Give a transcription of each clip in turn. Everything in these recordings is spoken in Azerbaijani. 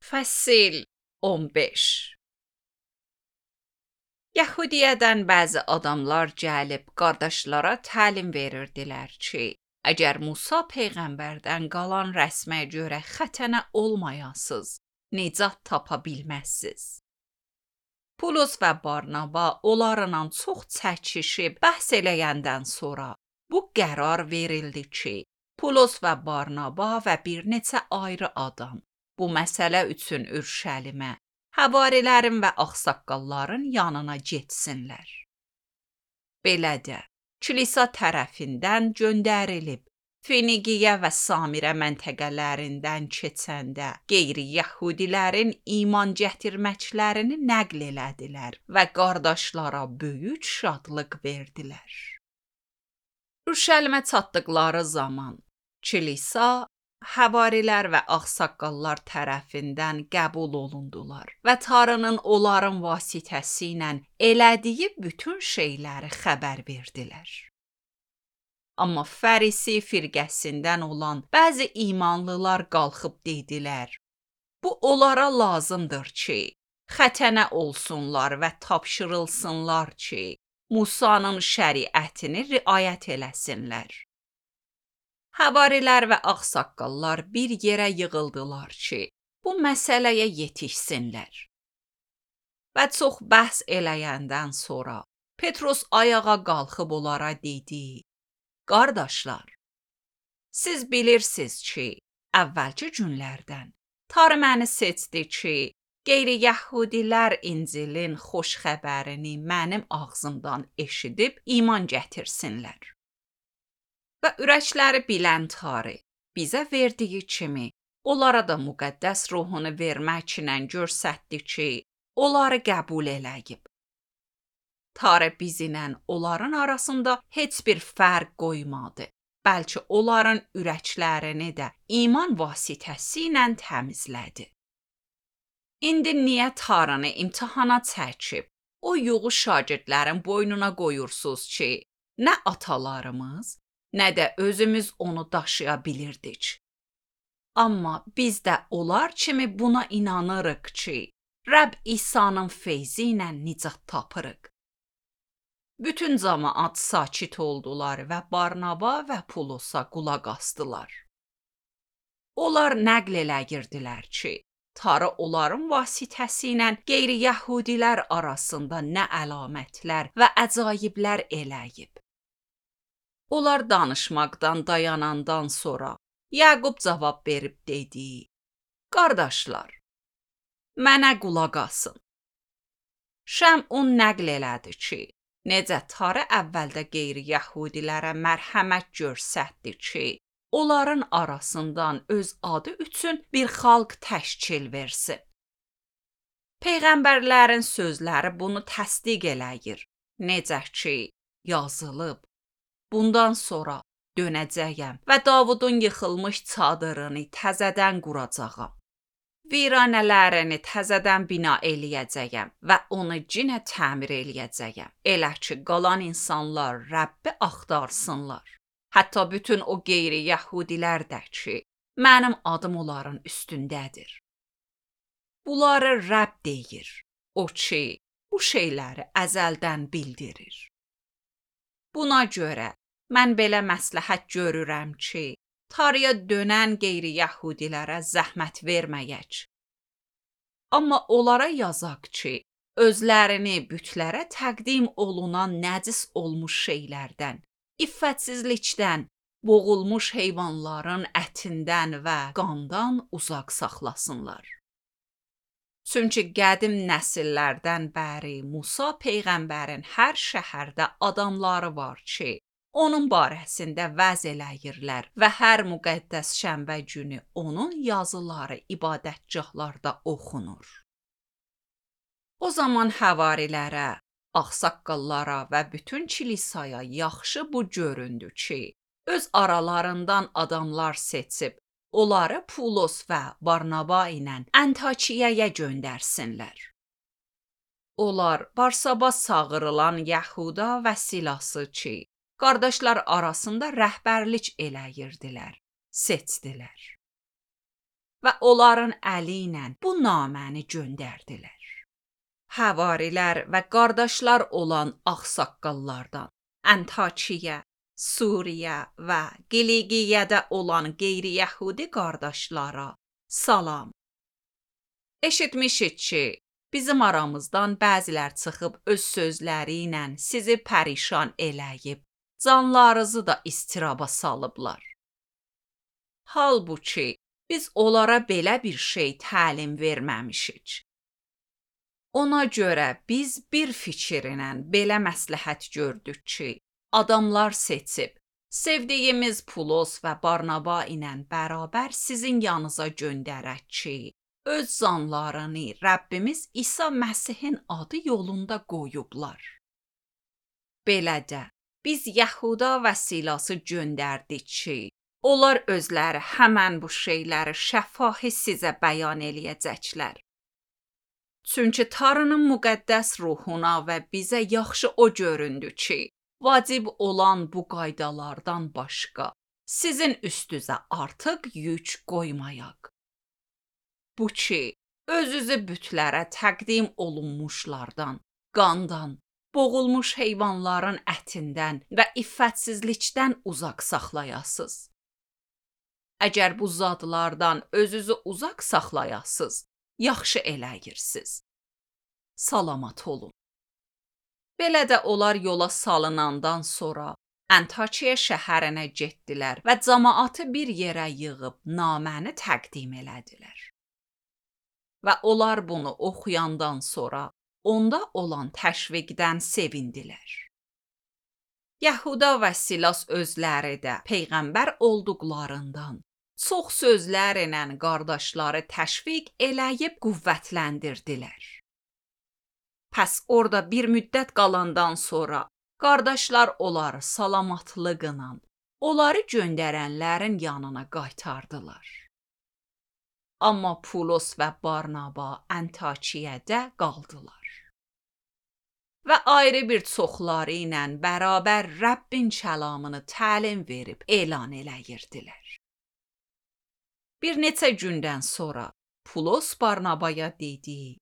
Fəsil 15 Yəhudiyədən bəzi adamlar gəlib qardaşlara təlim verirdilər ki, əgər Musa peyğəmbərdən qalan rəsmə görə xətənə olmayasınız, nicat tapa bilməzsiniz. Pulos və Barnaba onlarla çox çəkişib bəhs eləyəndən sonra bu qərar verildi ki, Pulos və Barnaba və bir neçə ayrı adam bu məsələ üçün Ürüşəlimə, həvarilərin və ağsaqqalların yanına getsinlər. Belə də, kilisa tərəfindən göndərilib, Finiqiya və Samirə məntəqələrindən keçəndə qeyri-yəhudilərin iman gətirməklərini nəql elədilər və qardaşlara böyük şadlıq verdilər. Ürüşəlimə çatdıqları zaman, kilisa, həvarilər və ağsaqqallar tərəfindən qəbul olundular və Tanrının onların vasitəsilə elədiyi bütün şeyləri xəbər verdilər. Amma Fərisi firqəsindən olan bəzi imanlılar qalxıb dedilər, bu onlara lazımdır ki, xətənə olsunlar və tapşırılsınlar ki, Musanın şəriətini riayət eləsinlər. Həvarilər və ağsaqqallar bir yerə yığıldılar ki, bu məsələyə yetişsinlər. Və çox bəhs eləyəndən sonra Petrus ayağa qalxıb onlara dedi, qardaşlar, siz bilirsiniz ki, əvvəlki günlərdən Tanrı məni seçdi ki, qeyri-yəhudilər İncilin xoş xəbərini mənim ağzımdan eşidib iman gətirsinlər. Və ürəkləri bilən Tanrı bizə verdiyi kimi, onlara da müqəddəs ruhunu verməklə göstərdi ki, onları qəbul eləyib. Tanrı bizlə onların arasında heç bir fərq qoymadı, bəlkə onların ürəklərini də iman vasitəsilə təmizlədi. İndi niyə Tanrını imtahana çəkib, o yuğu şagirdlərin boynuna qoyursunuz ki, nə atalarımız, nə də özümüz onu daşıya bilirdik. Amma biz də onlar kimi buna inanırıq ki, Rəbb İsa'nın feyzi ilə nicat tapırıq. Bütün cəmaət sakit oldular və Barnaba və Pulosa qulaq asdılar. Onlar nəql eləyirdilər ki, Tanrı onların vasitəsilə qeyri-yəhudilər arasında nə əlamətlər və əcaiblər eləyib. Onlar danışmaqdan dayanandan sonra Yaqub cavab verib dedi, qardaşlar, mənə qulaq asın. Şəmun nəql elədi ki, necə Tanrı əvvəldə qeyri-yəhudilərə mərhəmət göstərdi ki, onların arasından öz adı üçün bir xalq təşkil versin. Peyğəmbərlərin sözləri bunu təsdiq eləyir. Necə ki, yazılıb, bundan sonra dönəcəyəm və Davudun yıxılmış çadırını təzədən quracağam. Viranələrini təzədən bina eləyəcəyəm və onu yenə təmir eləyəcəyəm. Elə ki, qalan insanlar Rəbbi axtarsınlar. Hətta bütün o qeyri-yəhudilər də ki, mənim adım onların üstündədir. Bunları Rəbb deyir, o ki, bu şeyləri əzəldən bildirir. Buna görə mən belə məsləhət görürəm ki, Tanrıya dönən qeyri-yəhudilərə zəhmət verməyək. Amma onlara yazaq ki, özlərini bütlərə təqdim olunan nəcis olmuş şeylərdən, iffətsizlikdən, boğulmuş heyvanların ətindən və qandan uzaq saxlasınlar. Çünki qədim nəsillərdən bəri Musa peyğəmbərin hər şəhərdə adamları var ki, onun barəsində vəz eləyirlər və hər müqəddəs şənbə günü onun yazıları ibadətgahlarda oxunur. O zaman həvarilərə, ağsaqqallara və bütün kilisaya yaxşı bu göründü ki, öz aralarından adamlar seçib, onları Pulos və Barnaba ilə Antakiyaya göndərsinlər. Onlar Barsabas çağırılan Yəhuda və Silası ki, qardaşlar arasında rəhbərlik eləyirdilər, seçdilər. və onların əli ilə bu naməni göndərdilər. Həvarilər və qardaşlar olan ağsaqqallardan Antakiya, Suriya və Qiliqiyədə olan qeyri-yəhudi qardaşlara salam. Eşitmişik ki, bizim aramızdan bəzilər çıxıb öz sözləri ilə sizi pərişan eləyib, canlarınızı da istiraba salıblar. Halbuki biz onlara belə bir şey təlim verməmişik. Ona görə biz bir fikirlə belə məsləhət gördük ki, adamlar seçib, sevdiyimiz Pulos və Barnaba ilə bərabər sizin yanınıza göndərək ki, öz canlarını Rəbbimiz İsa Məsihin adı yolunda qoyublar. Belə də biz Yəhuda və Silası göndərdik ki, onlar özləri həmən bu şeyləri şəfahi sizə bəyan eləyəcəklər. Çünki Tanrının müqəddəs ruhuna və bizə yaxşı o göründü ki, vacib olan bu qaydalardan başqa sizin üstünüzə artıq yük qoymayaq. Bu ki, özünüzü bütlərə təqdim olunmuşlardan, qandan, boğulmuş heyvanların ətindən və iffətsizlikdən uzaq saxlayasız. Əgər bu zadlardan özünüzü uzaq saxlayasız, yaxşı eləyirsiniz. Salamat olun. Belə də onlar yola salınandan sonra Antakiya şəhərinə getdilər və cəmaatı bir yerə yığıb naməni təqdim elədilər. Və onlar bunu oxuyandan sonra onda olan təşviqdən sevindilər. Yəhuda və Silas özləri də peyğəmbər olduqlarından çox sözlərlə qardaşları təşviq eləyib qüvvətləndirdilər. Pəs orada bir müddət qalandan sonra qardaşlar onları salamatlıqla, onları göndərənlərin yanına qaytardılar. Amma Pulos və Barnaba Antakiyədə qaldılar. Və ayrı bir çoxları ilə bərabər Rəbbin kəlamını təlim verib elan eləyirdilər. Bir neçə gündən sonra Pulos Barnabaya dedi,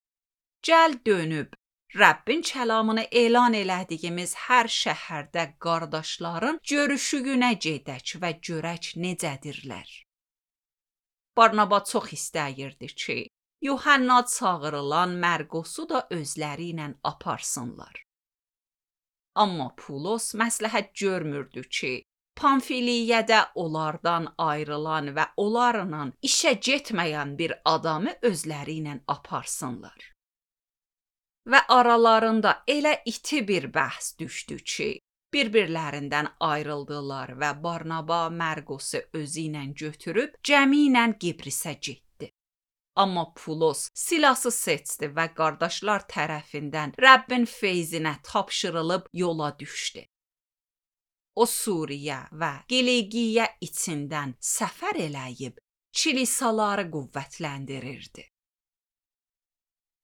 gəl dönüb Rəbbin kəlamını elan elədiyimiz hər şəhərdə qardaşların görüşüyünə gedək və görək necədirlər. Barnaba çox istəyirdi ki, Yuhanna çağırılan Mərqosu da özləri ilə aparsınlar. Amma Pulos məsləhət görmürdü ki, Pamfiliyədə onlardan ayrılan və onlarla işə getməyən bir adamı özləri ilə aparsınlar. Və aralarında elə iti bir bəhs düşdü ki, bir-birlərindən ayrıldılar və Barnaba Mərqosu özü ilə götürüb cəmi ilə Qibrisə getdi. Amma Pulos Silası seçdi və qardaşlar tərəfindən Rəbbin feyzinə tapşırılıb yola düşdü. O Suriya və Qiliqiyə içindən səfər eləyib kilisaları qüvvətləndirirdi.